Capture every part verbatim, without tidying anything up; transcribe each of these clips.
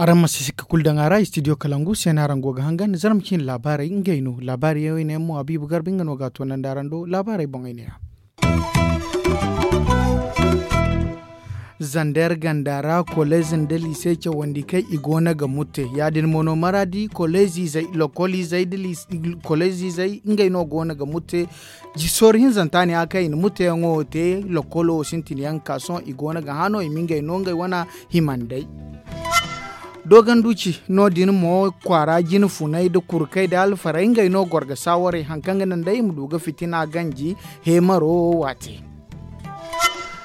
Araŋ ma si sikka kulu daŋ a ra istidiyo kalangu se no araŋ go ga hangan zarma ciine laabaarey ngey no laabaari yaŋ wo i ne yaŋ mo habiibu garba nga no ga a toonandi araŋ do laabaarey boŋey ne ya. Zander ganda ra koleez nda liise cawandi kaŋ i go no ga mutte ya- din mo no maraadi koleez izey lokol izey nda koleez izey ngey no go no ga mutte. Soori hinzanta ne a kaŋ i na mutteyaŋo te lokolo wo sintin yaŋ ga ka sohõ i go no ga hã no i ma ngey no ngey wane himandey. Dooganduci no- din mo kwaara jine funay nda kurkey nda alfarey ngey no goro ga saawarey hari kaŋ ga naŋ day i ma du ga fitina ganji heemaro wo waate.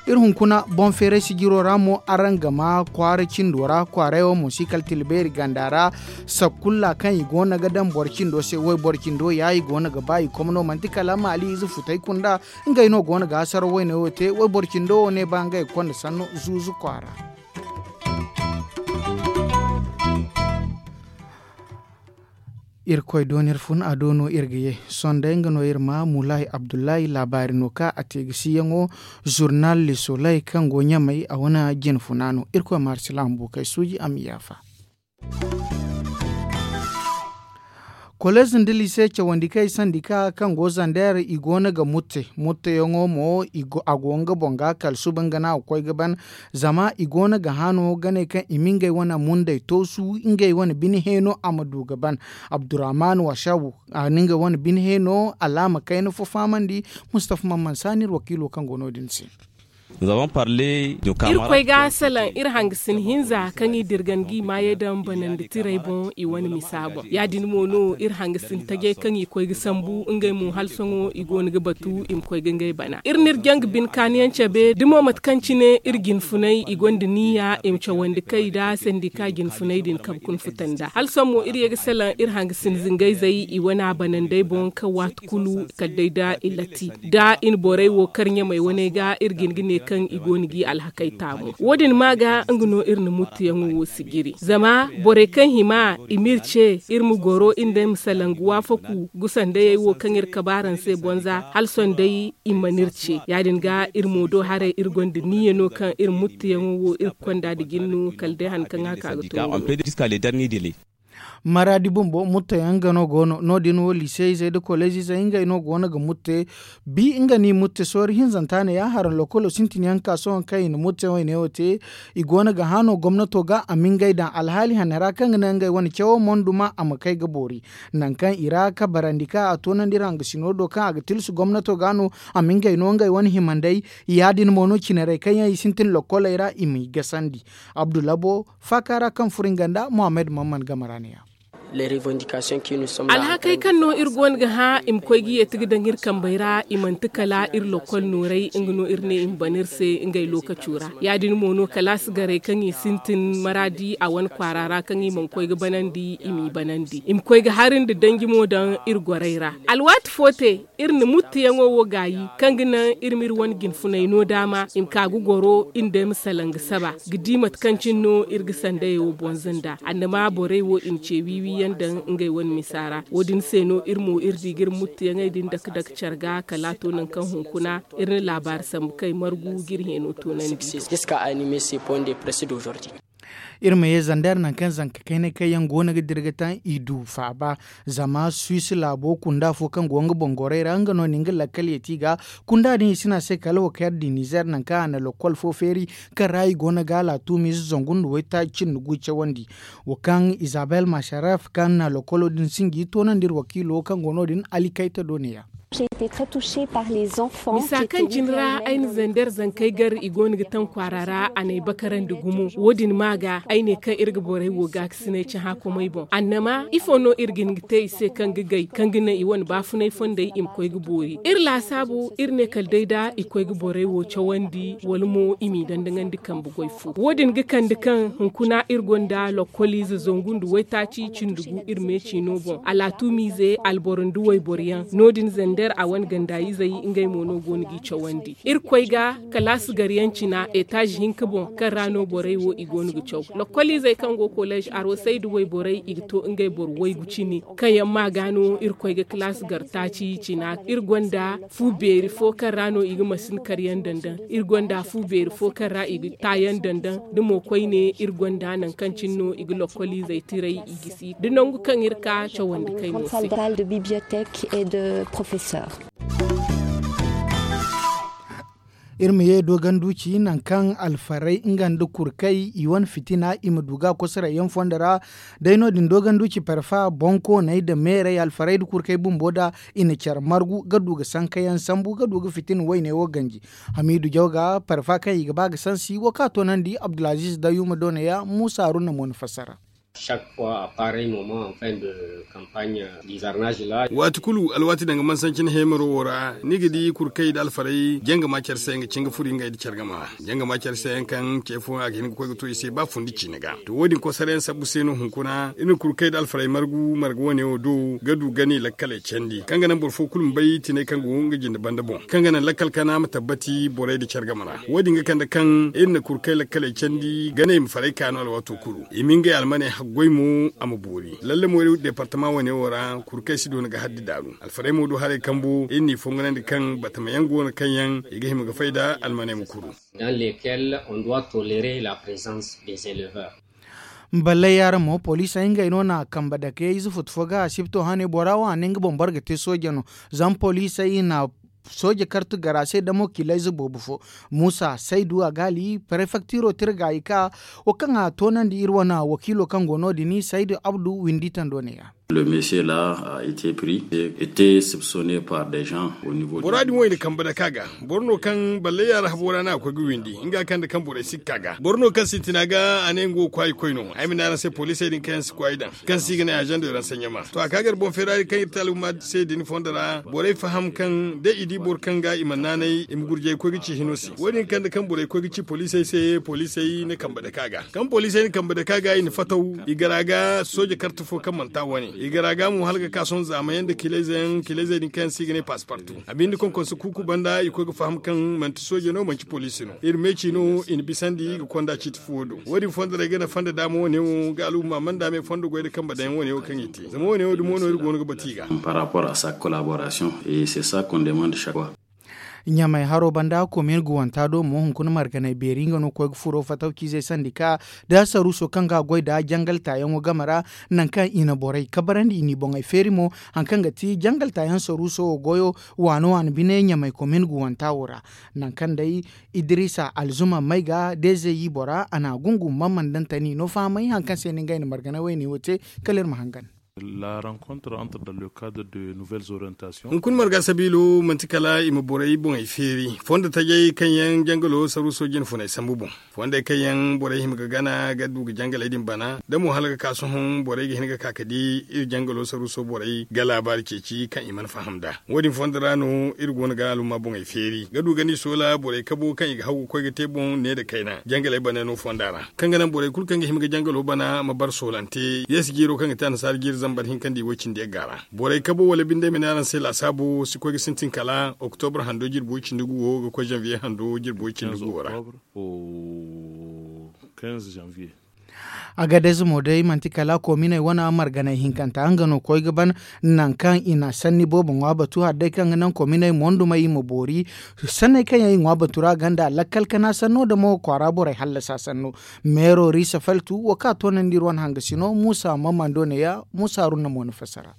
Iri hunkuna boŋ feeray sijiro ra mo araŋ ga ma kwaara cindo ra kwaaray wo mo si kala tilbeeri ganda ra. Sakkulla kaŋ i go no ga daŋ boro cindo se wayboro cindo ya i go no ga ba i komno manti kala maali ize futay kunda. Ngey no go no ga hasaraw wayne wo te wayboro cindo wo ne ba ngey ga konda sanno zuuzu kwaara. Irkoy do no iri fun a do no iri ga ye. Sohõ day nga no iri ma mulahi abdullahi laabaari no ka a te ga siyaŋo. Zurnal le soley kaŋ go ɲamey a wane jine funa no irkoy ma hari silaamu buukey suuji a ma yaafa. Koleez nda liise cawandi kaŋ ay sandi ka kaŋ go zander i go no ga mutte mutteyaŋo mo a go nga boŋ ga kala suba nga no a ga koy ga ban. Zama i go no ga hã no ga ne kaŋ i ma ngey wane mundey toosu ngey wane bine heeno a ma du ga ban. Abdurrahman washabu a na ngey wane bine heeno alaama kayna fo fahamandi. Mustafa mamman saani iri wakiilo kaŋ go no- din se. Irkoy ga salaŋ iri hangasin hinza kaŋ i dirgan ga i maayey daŋ banandi tirey boŋ i wane misa boŋ ya- din mo no iri hangasin tajey kaŋ i koy ga sambu ngey mo hala sohõ i go no ga batu i ma koy ga ngey bana iri n'iri jaŋ ga bine kaaniyaŋ cabe da mo mate kaŋ cine iri jinfunay i gonda niya i ma cawandi kay nda sandika jinfunay din kabe kuna futa nda hala sohõ mo iri ye ga salaŋ iri hangasin zingayzey i wane a banandey boŋ kaŋ waati kulu kala day da i latti da i na borey wo kar ɲamey waney ga iri ga hin ga ne kaŋ i go no g'i alhakey taamu wo- din ma ga nga no iri na muttuyaŋo wo sijiri zama borey kaŋ hima i m'iri ce iri ma goro iri nda iri ma salaŋ ga waafaku gusa ndayey wo kaŋ iri kabe araŋ se bonza hala sohõ day i mana iri ce ya- din ga iri mo do haray iri gonda niyya no kaŋ iri muttuyaŋo wo iri ga konda nda jin no kala day han kaŋ a ka ga to. Maraadi bumbo mutteyaŋ nga no go no no- din wo liiseyzey nda koleezizey ngey no go no ga mutte. Bi nga n'i mutte soori hinzanta ne ya haraŋ lokolo sintin yaŋ ga ka sohõ kaŋ i na mutteyaŋ wo i ne wo te. I go no ga hã no gomnato ga a ma ngey daŋ alhaali hane ra kaŋ ga naŋ ngey wane cawo monduma a ma kay ga boori. Nangu kaŋ i ra kabarandi kaŋ a toonandi iri hangasino do kaŋ a ga tilsu gomnato ga no a ma ngey no ngey wane himandey. Ya- din mo no cinarey kaŋ yaŋ i sintin lokoley ra i m'i gasandi. Abdulabo faaka ra kaŋ furo nga nda muhammad mamman game ra ne- ya. Alhakey kaŋ no iri go no ga hã i ma koy ga yeeti ga daŋ iri kambey ra i manti kala iri lokol nooray nga no iri ne i ma ban iri se ngey lookaco ra. Ya- din mo no kalaasi garey kaŋ i sintin maraadi a wane kwaara ra kaŋ i mana koy ga banandi i m'i banandi i ma koy ga hari nda danji mo daŋ iri gorey ra. Alwaati fo te iri na muttuyaŋo wo gaayi kaŋ ga naŋ iri m'iri wane jinfunay no daama i ma ka ga goro iri nda ay ma salaŋ ga saba ga di mate kaŋ cine no iri ga sandayey wo bonza nda annama borey wo i ma ce wiiwi yaŋ daŋ ngey wane misa ra wo- din se no iri mo iri di ga iri muttuyaŋey din dake dake care ga kala a to nangu kaŋ hunkuna iri na laabaari sambu kay margu ga iri heeno toonandi. Iri ma ye zander nangu kaŋ zanka kaynay kaŋ yaŋ go no ga dira ga taŋ i du faaba. Zama suwis laabo kunda fo kaŋ go nga boŋ gorey ra nga no na nga lakkal yeeti ga. Kunda din i si ne a se kala wo kaŋ yar di nizer nangu kaŋ a na lokol fo feeri kaŋ ra i go no ga a laatumiize zangu nda waytaaci cindi gu cawandi. Wo kaŋ izabel masharef kaŋ na lokolo din sinji toonandi iri wakiilo kaŋ go no- din ali kayta do ne- ya. Misa kaŋ cine ra ay na zander zankey gar i go no ga taŋ kwaara ra a n'ay bakarandi gumo wo- din ma ga ay ne kaŋ iri ga borey wo gaakasinay cahã komey boŋ annama ifo no iri ga hin ga te i se kaŋ ga gay kaŋ ga naŋ i wane baafunay fondey i ma koy ga boori iri laasaabu iri ne kala day da i koy ga borey wo cawandi wala mo i m'i dandaŋandi kambe goy fo wo- din ga kande kaŋ hunkuna iri gonda lokoliize zangu nda waytaaci cindi gu iri me ciino boŋ alaatumiize alboro nda wayboro yaŋ no- din zander. da iri a wane ganda izey ngey mo no go no g'i cawandi. Irkoy ga kalaasi gar yaŋ cina etaazi hinka boŋ kaŋ ra no borey wo i go no ga caw. Lokkol izey kaŋ go koleez arosey da wayborey i ga to ngey boro waygu cine kaŋ yaŋ ma ga no irkoy ga kalaasi gar taaci cina. Iri gonda fu beeri fo kaŋ ra no i ga masin kar yaŋ dandaŋ. Iri gonda fu beeri fo kaŋ ra i ga taayaŋ dandaŋ da mo koyne iri gonda nangu kaŋ cine no i ga lokkol izey tiray i gisi da nangu kaŋ iri ka cawandi kay no se. Iri ma ye dooganduuci nangu kaŋ alfarey nga nda kurkay i wane fitina i ma du ga kosoray yaŋ fondo ra. Day no- din dooganduuci parfa bonkooney nda meerey alfarey nda kurkay bumbo da i na care margu ga du ga sankayaŋ sambu ga du ga fitina wayne wo ganji. Hamiidu jawga parfa kaŋ i ga ba ga sansi wo ka toonandi abdulaziiz dayuma doona ya muusa haruna mo na fassara. Waati kulu alwaati danga mansanci ni heemaro wo ra ni ga di kurkay nda alfarey janga ma care se nga cin ga furi ngey nda care game ra. Janga ma care se yaŋ kaŋ ce fo a ga hin ga koy ga to i se ba fundi ciine ga to wo- din kosarayaŋ sabbu se no hunkuna iri na kurkay nda alfarey margu marga wane wo do ga du gani lakkaley candi kaŋ ga naŋ boro fo kulu ma bay tinay kaŋ go nga jinde banda boŋ kaŋ ga naŋ lakkal kana ma tabbati borey nda care game ra. Wo- din ga kande kaŋ iri na kurkay lakkaley candi ganey ma faray ka no alwaato kulu i ma ngey almaney haggoy mo a ma boori lalle mo iri deepartama wane wo ra kurkay si doona ga haddi daaru alfarey mo du haray kambu iri n'i fongonandi kaŋ batama yaŋ go no kaŋ yaŋ i ga hima ga fay nda almaney ma kuru. Dans lesquels on doit tolerer la présence des éleveurs. Ballay yaara mo poliisey ngey no na kambe dake ize futu fo ga asibto hane bora wo a ne nga boŋ boro ga te sooje no. Zama poliisey na sooje kartu gara se damo kiilayze boobo fo. Muusa saydu a gaali prefektiro tira ga i ka wo kaŋ a toonandi iri wane wakiilo kaŋ go no- din saydu abdu windi tando ne ya. Bora din wo i na kambe dake a ga. Boro no kaŋ ballay yaara habo ra no a ga koy ga windi nga kaŋ nda kaŋ borey si ga ka ga boro no kaŋ sintina ga a ne nga wo kwaayi koy no ay ma ne araŋ se poliisey din kaŋ yaŋ si kwaayi daŋ kaŋ se i ga ne azaŋ de ransanyama to a ka gar boŋ feeraari kaŋ iri te alhumma se din fondo ra borey faham kaŋ da i di boro kaŋ ga i mana naanay i ma gurjay ga koy ga ci hino se wo- din kaŋ nda kaŋ borey koy ga ci poliisey se poliisey na kambe dake a ga kaŋ poliisey na kambe dake a ga i na fataw i gar a ga sooje karte fo kaŋ mana ta wane i gar a ga mo hala ga ka sohõ zaamayaŋ nda kiilayze yaŋ kiilayzey din kaŋ yaŋ se i ga ne paasipartu a binde konkonse kuuku banda i koy ga faham kaŋ manti sooje no manti poliisi no iri meeci no i na bisandi ga konda ciiti fuwo do wo- din fondo ra ay ga naŋ fondo daama wane wo ga alhumma manda me fondo goy nda kambe daŋ wane wo kaŋ i te zama wane wo dumo no iri go no ga batu i ga. Par rapport à sa collaboration et c'est ça qu'on demande chaque fois. Ɲamay haro banda komin guwanta do mo hunkuna marganay beeri nga no koy ga furo fataw ciizey sandi ka da saruuso kaŋ ga goy da jangal taayaŋo game ra. Nangu kaŋ i na borey kabarandi i n'i boŋey feeri mo haŋ kaŋ ga ti jangal taayaŋ saruuso wo goyo waano waano bine ɲamay komin guwanta wo ra. Nangu kaŋ day idrisa alzuma may ga deezeyi bora a na gungu mamman daŋ tani no fahamay haŋ kaŋ se no ngey na margana wayne wo te. Kala iri ma hangan. Hunkuna marga sabiilo manti kala i ma borey boŋey feeri fondo tajey kaŋ yaŋ jangalo saruuso jine funay sambu boŋ. Fondey kaŋ yaŋ borey hima ga gana ga du ga jangaley din bana da mo hala ga ka sohõ borey ga hin ga ka ga di iri jangalo saruuso borey ga laabaari ceeci kaŋ i mana faham nd'a. Wo- din fondo ra no iri go no ga alhumma boŋey feeri ga du ga ni soola borey kabo kaŋ i ga haw ga koy ga te boŋ ne nda kayna jangaley bana no fonda ra kaŋ ga naŋ borey kulu kaŋ ga hima ga jangalo bana ma bar soolante yeesi jiiro kaŋ ga te annasaara jiiri zambar hinka nda i woy cindi yagga ra. Borey kabo wala binde ay ma ne araŋ se laasaabo si koy ga sintin kala oktobra hando jirbi woy cindi guwo ga koy zanviye hando jirbi woy cindi guwo ra. Agadez mo day manti kala kominey wane marganay hinkanta nga no koy ga ban. Nangu kaŋ i na sanni boobo ŋwa batu hala day kaŋ ga naŋ kominey mondumey i ma boori sanney kaŋ yaŋ i ŋwa batu ra ganda lakkal kana sanno da mo kwaara borey hallasa sanno. Meero risa faltu wo ka toonandi iri wane hangasino muusa mamando neeya muusa haruna mo na fassara.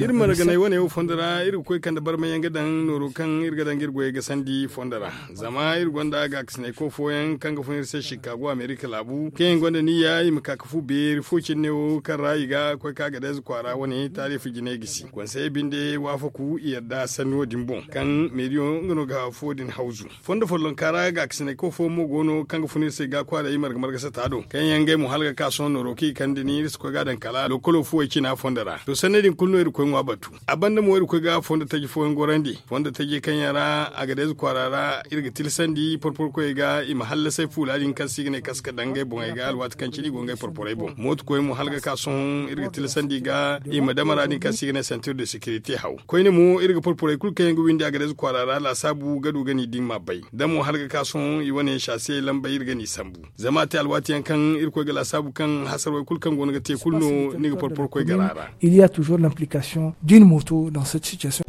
Iri marganay wane wo fondo ra iri ga koy kande barmay yaŋ ga daŋ nooro kaŋ iri ga daŋ ga iri goyey gasandi fondo ra. Zama iri gonda gaakasinay koy fooyaŋ kaŋ ga fun iri se shikaago amerika laabu kaŋ yaŋ gonda niyya i ma ka ga fu beeri fo cine wo kaŋ ra i ga koy ka ga dayze kwaara wane taarifa jinay gisi konseye binde waafaku i yadda sanni wo- din boŋ kaŋ meediyo nga no ga fo din hawzu. Fondo follonka ra gaakasinay koy fooyaŋ mo go no kaŋ ga fun iri se ga kwaaray marga marga sata do kaŋ yaŋ ngey mo hala ga ka sohõ nooro kaŋ i Kaŋ da ni iri si koy ga a daŋ kala lokolo fuwey cina fondo ra to sanney din kulu no iri ga koy ŋwa batu. A banda mo iri ga koy ga fondo taji fooyaŋ gorandi fondo taji kaŋ yaŋ ra a ga deeze kwaara ra. Iri ga tilasandi porporo koyey ga i ma hallasay fuula din kaŋ se i ga ne kaska daŋ ngey boŋey ga alwaati kaŋ cine i go ngey porporey boŋ mooto koy mo hala ga ka sohõ iri ga tilasandi ga i ma damara din kaŋ se i ga ne sentir de sekirite haw. Koyne mo iri ga porporey kulu kaŋ yaŋ ga windi a ga deeze kwaara ra laasaabu ga du ga ni din ma bay da mo hala ga ka sohõ i wane yaŋ saasiyey lambey iri ga ni sambu. Zama a te alwaati yaŋ kaŋ iri koy ga laasaabu kaŋ hasarwey kulu kaŋ go no ga te kulu no ni ga porporo koy gara ra. Il y a toujours l'implication d'une moto dans cette situation.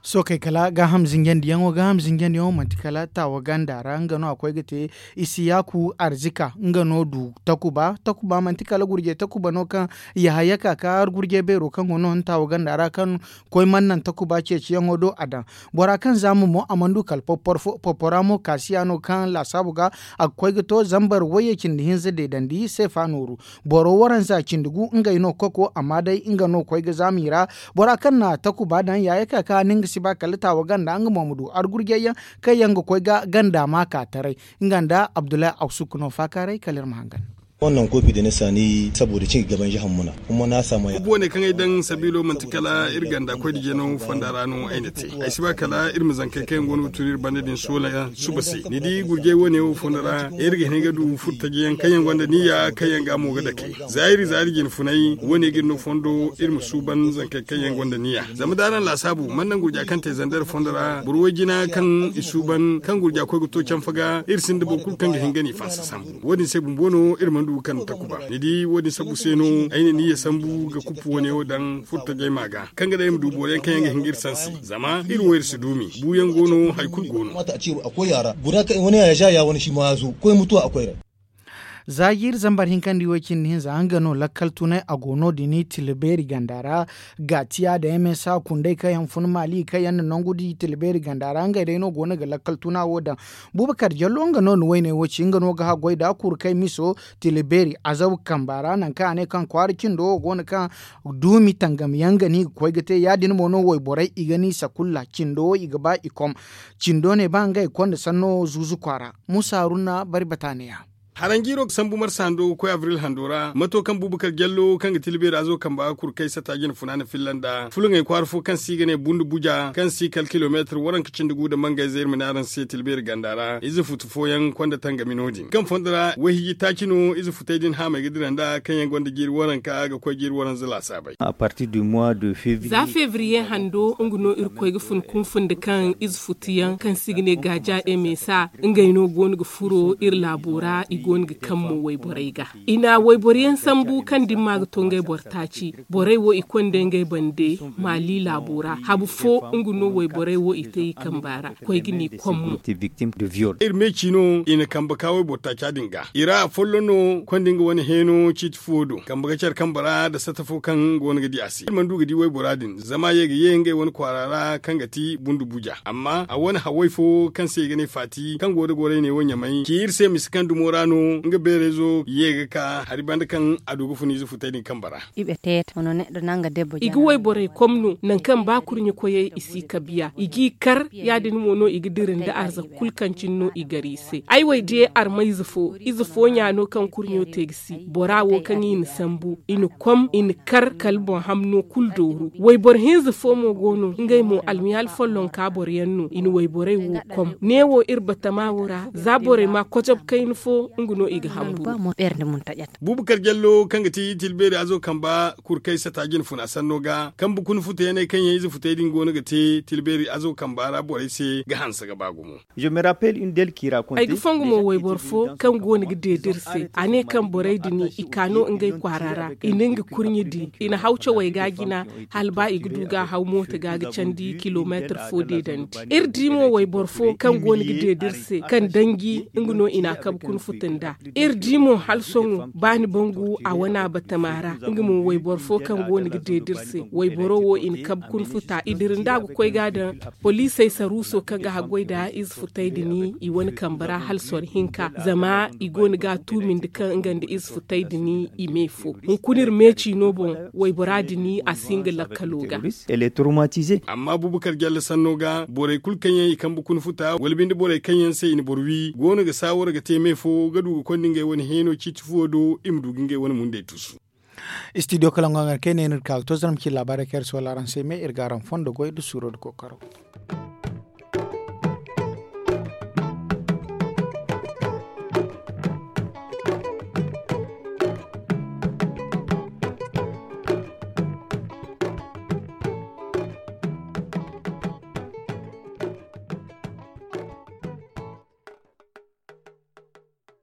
Sookey kala gaaham zinjandiyaŋo gaaham zinjandiyaŋo manti kala taawa ganda ra nga no a koy ga te. Isiyaaku arzika nga no du takuba takuba manti kala gurjey takuba no kaŋ yahaya ka ka gurjey beero kaŋ go no taawa ganda ra kaŋ koy mana naŋ takuba ceeciyaŋo do a daŋ. Bora kaŋ zaama mo a mana du kala porpora mo kaasiya no kaŋ laasaabu ga a ga koy ga to zambar wayye cindi hinza deedandi seefa nooru. Boro waranza cindi gu ngey no koko amma day nga no koy ga zaama i ra. Bora kaŋ na takuba daŋ yaaya ka ka ni nga si ba kala taawa ganda nga mo ma du argurjayyaŋ kaŋ yaŋ ga koy ga ganda ma ka taray. Nga nda abdullahi awsuk no faakaaray kala iri ma hangan. Kubo wane kaŋ ay daŋ sabiilo manti kala iri ganda koy da jeno fonda ra no ay na te. Ay si ba kala iri ma zankey kaŋ yaŋ go no ga tun iri banda din soola suba se ni di gurjey wane wo fonda ra iri ga hin ga du furtajiyaŋ kaŋ yaŋ gonda niyya kaŋ yaŋ ga mo ga dake. Zaari zaari jine funay wane ga iri no fondo iri ma suuban zankey kaŋ yaŋ gonda niyya. Zama da araŋ laasaabu mana naŋ gurja kaŋ te zandar fondo ra boro way jina kaŋ i suuban kaŋ gurja koy ga to canfa ga iri sinda boro kulu kaŋ ga hin ga ni fansa sambu. Wo- din se bumbo no iri mana du ga kande takuba ni di wo- din sambu se no ay na niyya sambu ga kuppu wane wo daŋ furtajey ma ga kaŋ ga daŋ iri ma du boro yaŋ kaŋ yaŋ ga hin ga iri sansi zama iri wo iri si duumi buuyaŋ go no hari kulu go no. Za jiiri zambar hinkandi way- cindi hinza nga no lakkal tunay a go no- din tila beeri ganda ra. Gaatiya da msa kundey kaŋ yaŋ fun maali kaŋ yaŋ na nangu di tila beeri ganda ra ngey day no go no ga lakkal tuna wo daŋ. Buubakar jallo nga no na wayney wo ci nga no ga haggoy da kuru kay miso tila beeri azaw kamba ra nangu kaŋ a ne kaŋ kwaara cindo wo go no kaŋ duumi tangam yaŋ ga no i ga koy ga te ya- din mo no wayborey i ga no i sakulla cindo wo i ga ba i kom. Cindo ne ba ngey konda sanno zuuzu kwaara. Muusa haruna bari bataaniya. Haranjiiro ga sambu marsa hando ga koy abril hando ra mato kaŋ buubu kala jallo kaŋ ga ti libeera zo kamba ga kuru kay sata jine funa na filla nda fulaŋey kwaara fo kaŋ se i ga ne bundu buja kaŋ se i kala kilomeetir waranka cindi gu nda mangayze iri ma ne araŋ se ti libeera ganda ra ize futu fooyaŋ konda tangami no- din kaŋ fondo ra wayhiji taaci no ize futey din haamey ga dira nda kaŋ yaŋ gonda jiiri waranka ga koy jiiri waranza laasaabey. Za febriye hando nga no iri koy ga fun kunfundi kaŋ ize futu yaŋ kaŋ se i ga ne gaaja emesa ngey no go no ga furo iri laabo ra i go no ga kammo wayborey ga. I na wayboro yaŋ sambu kaŋ dimma ga to ngey boro taaci. Borey wo i konda ngey bande maali laabo ra habu fo nga no wayborey wo i te i kamba ra koy ga ni kommo. Iri me ci no i na kamba ka wayboro taaca din ga i ra afolloŋ no konda nga wane heeno ciiti fo do kamba ga care kamba ra nda sata fo kaŋ go no ga di a se iri mana du ga di waybora din zama ye ga ye ngey wane kwaara ra kaŋ ga ti bundu buja amma a wane haway fo kaŋ se i ga ne faati kaŋ go nda gorey ne wo ɲamay ci iri se misa kaŋ dumo ra no nga beerayzo ye ga ka hari banda kaŋ a du ga fun ize futey din kamba ra. I ga wayborey kom no nangu kaŋ ba kurɲe koyey i si kabiya i g'i kar ya- din mo no i ga dira nda arzaka kulu kaŋ cine no i gar i se ay wo ay di armayze fo ize fo ɲa no kaŋ kurɲo te ga si bora wo kaŋ i na sambu i na kom i na kar kala boŋ hamno kulu dooru wayboro hinza fo mo go no ngey mo almiyaali follonka boro yaŋ no i na wayborey wo kom neewo iri batama wo ra za borey ma kocob kayna fo nga no i ga hamburu. Buubu kar jallo kaŋ ga ti tilbeeri azo kamba kurkay sata jine funa sanno ga kambe kuna futa yaŋ ay kaŋ yaŋ ize futey din go no ga te tilbeeri azo kamba ra borey se ga hanse ga ba gumo. Ay ga fongu mo wayboro fo kaŋ go no ga deeda iri se a ne kaŋ borey din i ka no ngey kwaara ra i na nga kurɲe di i na haw cawey ga jina hala ba i ga du ga a haw mooto ga ga candi kilomeetir fo deedandi. Iri di mo wayboro fo kaŋ go no ga deeda iri se kaŋ danji nga no i na a kabe kuna futa nd'a. Iri di mo hala sohõ ba ni bangu a wane a batama ra nga mo wayboro fo kaŋ go no ga deeda iri se wayboro wo i na kabe kuna futa i dira nd'a ga koy ga a daŋ poliisey saruuso kaŋ ga haggoy nda ize futey din i wane kambe ra hala soro hinka zama i go no ga a tuumindi kaŋ nga nda ize futey din i me fo hunkuna iri meeci no boŋ waybora din a si nga lakkalo ga. Amma buubakar jalle sanno ga borey kulu kaŋ yaŋ i kambe kuna futa wala binde borey kaŋ yaŋ se i na boro wi go no ga saawara ga te me fo. ga du ga konda ngey wane heeno ciiti fuwo do i ma du ga ngey wane mundey tusu. Studio kala ngo haŋ kaŋ ay ne no iri ga ka ga to zarma ci laabaarey kaŋ iri si wala araŋ se me iri ga araŋ fondo goy nda suuro nda kookaro.